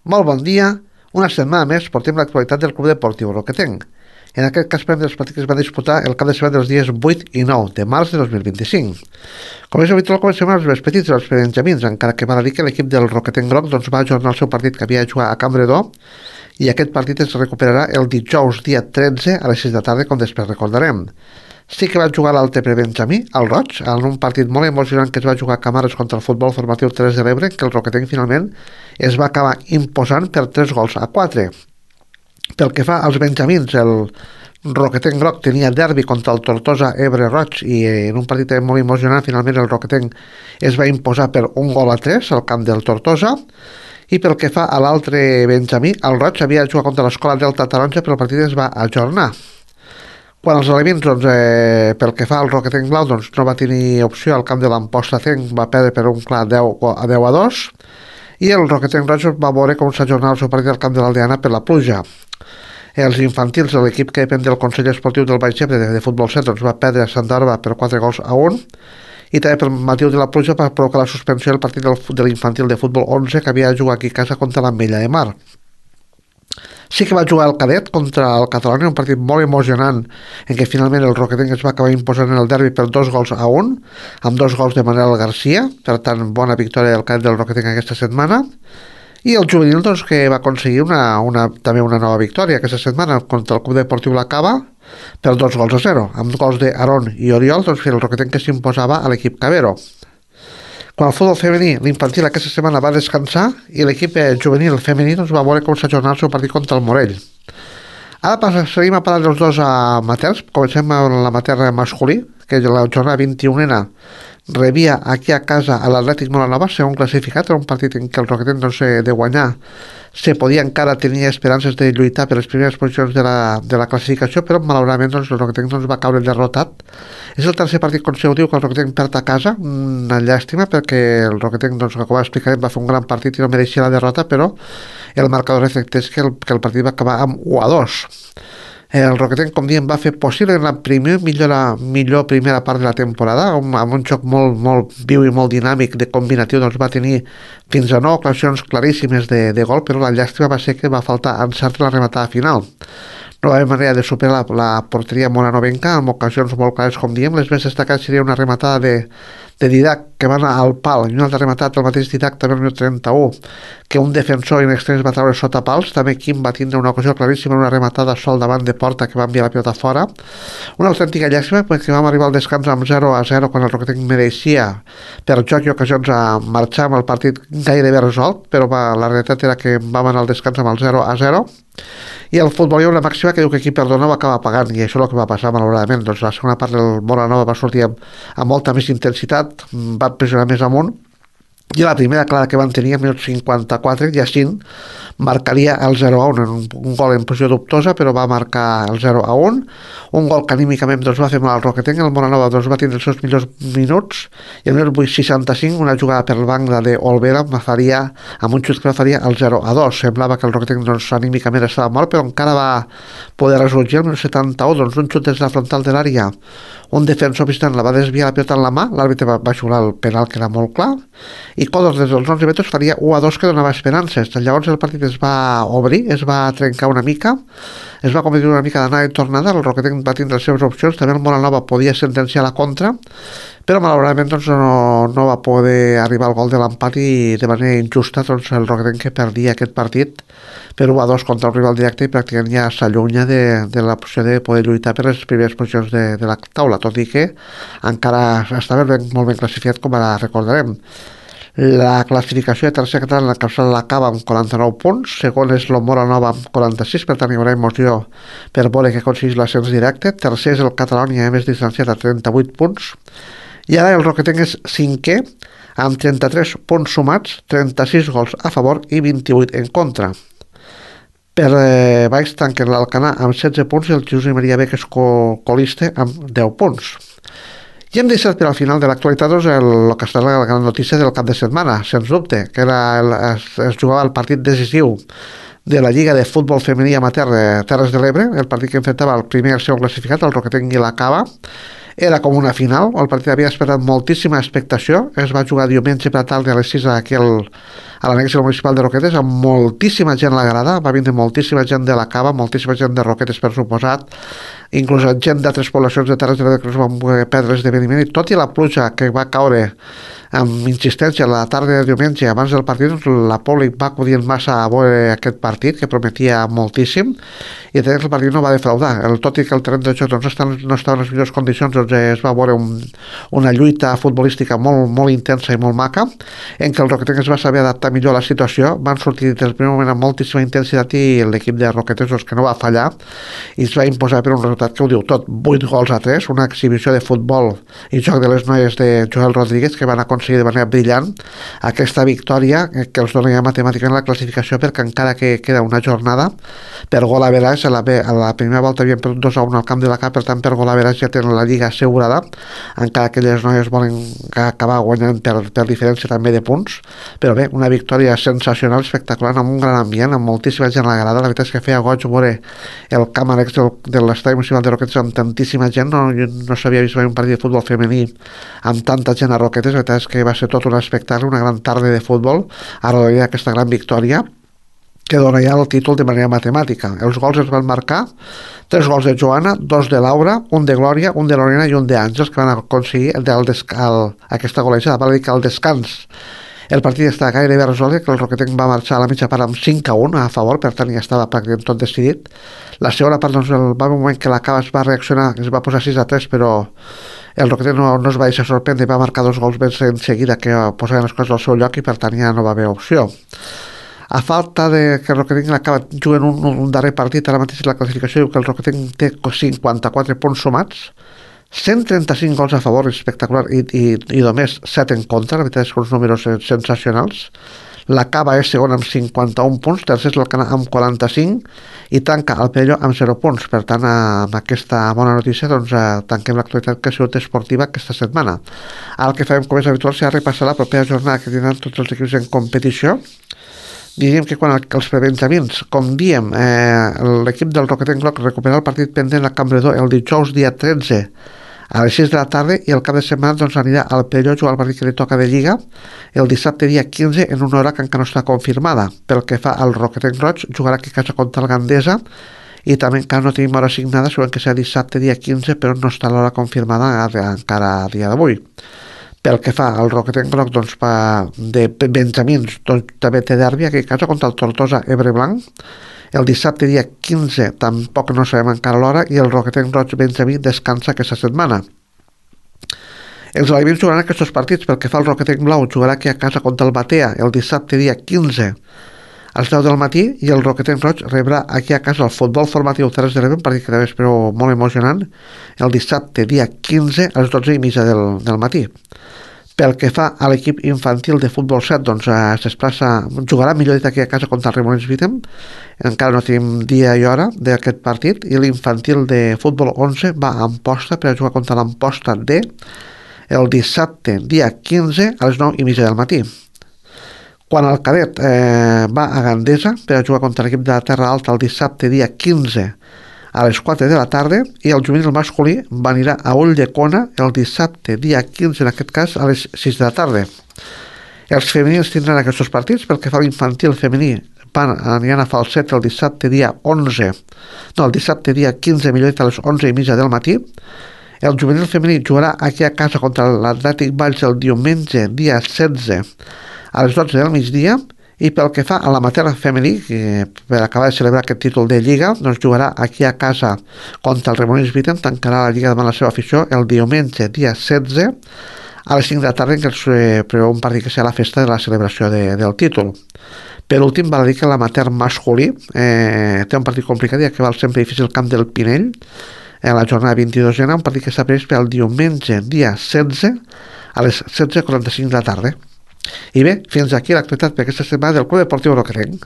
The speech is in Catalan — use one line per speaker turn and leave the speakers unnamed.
Molt bon dia. Una setmana més portem l'actualitat del Club Deportiu Roquetenc. En aquest cas parlem dels partits que es van disputar el cap de setmana dels dies 8 i 9 de març de 2025. Com és habitual, comencem amb els més petits dels benjamins, encara que val a dir que l'equip del Roquetenc Groc va ajornar el seu partit que havia de jugar a Campredó i aquest partit es recuperarà el dijous dia 13 a les 6 de la tarda, com després recordarem. Sí que va jugar l'altre prebenjamí, el Roig, en un partit molt emocionant que es va jugar a Camares contra el Futbol Formatiu 3 de l'Ebre, que el Roquetenc finalment es va acabar imposant per 3-4. Pel que fa als benjamins, el Roquetenc Groc tenia derbi contra el Tortosa Ebre Roig i en un partit molt emocionant finalment el Roquetenc es va imposar per 1-3 al camp del Tortosa. I pel que fa a l'altre benjamí, el Roig havia de jugar contra l'Escola Delta Taronja però el partit es va ajornar. Quan els alevins, pel que fa al Roquetenc Blau, no va tenir opció al camp de l'Amposta Tenc, va perdre per un clar 10-2, i el Roquetenc Roig va veure com s'ajornava el seu partit al camp de l'Aldeana per la pluja. Els infantils de l'equip que depèn del Consell Esportiu del Baix Ebre de Futbol 7 va perdre a Santa Orba per 4-1, i també per motiu de la pluja va provocar la suspensió del partit de l'infantil de futbol 11 que havia de jugar aquí a casa contra l'Ametlla de Mar. Sí que va jugar el cadet contra el Catalunya, un partit molt emocionant en què finalment el Roquetenc es va acabar imposant en el derbi per 2-1, amb 2 gols de Manel Garcia, per tant bona victòria del cadet del Roquetenc aquesta setmana, i el juvenil que va aconseguir també una nova victòria aquesta setmana contra el Club Deportiu La Cava per 2-0, amb gols d'Aaron i Oriol, el Roquetenc que s'imposava a l'equip Cabero. Quan el futbol femení, l'infantil aquesta setmana va descansar i l'equip juvenil femení va veure com s'ajornar el seu partit contra el Morell. Ara seguim a parlar dels dos amateurs. Comencem amb l'amateur masculí, que la jornada 21a rebia aquí a casa a l'Atlètic Molanova, segon classificat, en un partit en què el Roquetenc de guanyar se podia encara tenir esperances de lluitar per les primeres posicions de la classificació, però malauradament el Roquetenc va caure derrotat. És el tercer partit consecutiu que el Roquetenc perd a casa, una llàstima perquè el Roquetenc, com explicarem, va fer un gran partit i no mereixia la derrota, però el marcador reflecteix que el partit va acabar amb 1-2. El Roquetenc, com diem, va fer possible en la millor primera part de la temporada, amb un joc molt viu i molt dinàmic de combinatiu, va tenir fins a 9 ocasions claríssimes de gol, però la llàstima va ser que va faltar encert la rematada final. No va haver manera de superar la porteria moranovenca, amb ocasions molt clares, com diem. Les més destacades seria una rematada de Didac, que va anar al pal, i una altra rematada del mateix Didac, també el minut 31, que un defensor in extrems va treure sota pals. També Quim va tindre una ocasió claríssima, una rematada sol davant de porta que va enviar la pilota fora. Una autèntica llàstima, perquè vam arribar al descans amb 0-0, quan el Roquetenc mereixia, per joc i ocasions, a marxar amb el partit gairebé resolt, però la realitat era que vam anar al descans amb el 0-0, i el futbol hi ha una màxima que diu que qui perdona va acabar pagant, i això és el que va passar malauradament. La segona part del Molanova va sortir amb molta més intensitat, va pressionar més amunt, i la primera clara que van tenir al minut 54, Jacint marcaria el 0-1, un gol en posició dubtosa, però va marcar el 0-1, un gol que anímicament va fer mal al Roquetenc. El Molanova va tindre els seus millors minuts, i al minut 65 una jugada per l'angle d'Olvera amb un xut que faria el 0-2. Semblava que el Roquetenc anímicament estava mort, però encara va poder ressorgir. Al minut 71 un xut des de la frontal de l'àrea, un defensor visitant la va desviar la pilota en la mà, l'àrbitre va xular el penal, que era molt clar, i Codos des dels 11 metres faria 1-2, que donava esperances. Llavors el partit es va obrir, es va trencar una mica, es va convertir una mica d'anada i tornada. El Roquetenc va tindre les seves opcions, també el Molanova podia sentenciar la contra, però malauradament no va poder arribar al gol de l'empat, i de manera injusta el Roquetenc que perdia aquest partit per 1-2 contra el rival directe, i pràcticament ja s'allunya de la posició de poder lluitar per les primeres posicions de la taula, tot i que encara estava molt ben classificat, com ara recordarem. La classificació de tercer català l'encapçala la Cava amb 49 punts, segon és el Molanova amb 46, per tant hi haurà emoció per veure que aconsegueix l'ascens directe. Tercer és el Catalunya, més distanciat, a 38 punts, i ara el Roquetenc és cinquè amb 33 punts sumats, 36 gols a favor i 28 en contra. Per baix tanquen l'Alcanar amb 16 punts i el Josep Maria Bec és colista amb 10 punts. I hem deixat per al final de l'actualitat el que està la gran notícia del cap de setmana, sens dubte, que es jugava el partit decisiu de la Lliga de Futbol Femení Amateur de Terres de l'Ebre, el partit que enfrontava el primer i el segon classificat, el Roquetenc i la Cava, Era com una final, el partit havia esperat moltíssima expectació, es va jugar diumenge per la tarda a les 6 aquí a l'annex municipal de Roquetes, amb moltíssima gent a la grada, va vindre moltíssima gent de la Cava, moltíssima gent de Roquetes per suposat, inclús gent d'altres poblacions de Terres de l'Ebre que es van poder perdre l'esdeveniment, i tot i la pluja que va caure amb insistència la tarda de diumenge abans del partit, doncs la públic va acudir massa a veure aquest partit que prometia moltíssim, i el partit no va defraudar. Tot i que el terreny de joc doncs, no estava en les millors condicions, doncs es va veure una lluita futbolística molt, molt intensa i molt maca, en què el Roquetenc es va saber adaptar millor a la situació, van sortir des del primer moment amb moltíssima intensitat, i l'equip de Roquetes doncs, que no va fallar i es va imposar per un resultat que ho diu tot, 8-3, una exhibició de futbol i joc de les noies de Joel Rodríguez, que van aconseguir de manera brillant aquesta victòria que els dona ja matemàticament la classificació, perquè encara que queda una jornada per gol average, a la primera volta havien perdut 2-1 al camp de la Cap, per tant per gol average ja tenen la lliga assegurada, encara que les noies volen acabar guanyant per diferència també de punts, però bé, una victòria sensacional, espectacular, amb un gran ambient, amb moltíssima gent a la grada. La veritat és que feia goig veure el camp annex de l'estadi municipal de Roquetes amb tantíssima gent, no s'havia vist mai un partit de futbol femení amb tanta gent a Roquetes. La veritat és que va ser tot un espectacle, una gran tarda de futbol a rodolí d'aquesta gran victòria que dona ja el títol de manera matemàtica. Els gols es van marcar 3 gols de Joana, 2 de Laura, un de Glòria, un de Lorena i un d'Àngels, que van aconseguir aquesta golejada. Val a dir que al descans el partit està gairebé resolt, que el Roquetenc va marxar a la mitja part amb 5-1 a favor, per tant ja estava pràcticament tot decidit. La segona part, doncs, va haver un moment que la Cava es va reaccionar, es va posar 6-3, però el Roquetenc no es va deixar sorprendre, va marcar 2 gols ben en seguida que posaven les coses al seu lloc, i per tant ja no va haver opció. A falta de que el Roquetenc acaba jugant un darrer partit, ara mateix la classificació diu que el Roquetenc té 54 punts sumats, 135 gols a favor, espectacular, i només 7 en contra. La veritat és que uns números sensacionals. La Cava és segona amb 51 punts, tercer és l'Alcanar amb 45, i tanca el Perelló amb 0 punts. Per tant, amb aquesta bona notícia, doncs, tanquem l'actualitat que ha sigut esportiva aquesta setmana. Ara el que farem, com és habitual, serà repassar la propera jornada que tindran tots els equips en competició. Diríem que quan els prebenjamins, com diem, l'equip del Roquetenc Gloc recuperarà el partit pendent a Campredó el dijous dia 13 a les 6 de la tarda, i el cap de setmana doncs, anirà al Perelló a jugar el partit que li toca de Lliga el dissabte dia 15 en una hora que encara no està confirmada. Pel que fa al Roquetenc Roig, jugarà aquí a casa contra el Gandesa, i també encara no tenim hora assignada, segurament que serà dissabte dia 15, però no està l'hora confirmada encara a dia d'avui. Pel que fa al Roquetenc Groc, doncs, de benjamins, doncs, també té derbi aquí a casa contra el Tortosa Ebreblanc. El dissabte dia 15 tampoc no sabem encara l'hora, i el Roquetenc Roig Benjamí descansa aquesta setmana. Els alevins jugaran aquests partits. Pel que fa al Roquetenc Blau, jugarà aquí a casa contra el Batea el dissabte dia 15 a les 10 del matí, i el Roquetenc Roig rebrà aquí a casa el Futbol Formatiu Terres de l'Ebre, un partit que també espero molt emocionant, el dissabte dia 15 a les 12:30 del matí. Pel que fa a l'equip infantil de futbol 7, doncs jugarà, millor dit, aquí a casa contra el Remolins Vitem. Encara no tenim dia i hora d'aquest partit, i l'infantil de futbol 11 va a Amposta per a jugar contra l'Amposta D el dissabte dia 15 a les 9:30 del matí. Quan el cadet va a Gandesa per a jugar contra l'equip de la Terra Alta el dissabte dia 15 a les 4 de la tarda, i el juvenil masculí anirà a Ulldecona el dissabte dia 15, en aquest cas a les 6 de la tarda. Els femenins tindran aquests partits. Pel que fa a l'infantil femení, aniran a Falset el dissabte dia 15, millor dit, a les 11:30 del matí. El juvenil femení jugarà aquí a casa contra l'Atlètic Valls el diumenge dia 16 a les 12 del migdia, i pel que fa a l'amateur femení, que per acabar de celebrar aquest títol de Lliga, doncs jugarà aquí a casa contra el Remolins Vitem, tancarà la Lliga davant la seva afició el diumenge dia 16 a les 5 de la tarda, en què es preveu un partit que serà la festa de la celebració del títol. Per últim, val a dir que l'amateur masculí té un partit complicat, ja que va al sempre difícil camp del Pinell en la jornada 22ena, un partit que està previst per al diumenge dia 16 a les 16:45 de la tarda. I bé, fins aquí l'actualitat per aquesta setmana del Club Deportiu Roquetenc.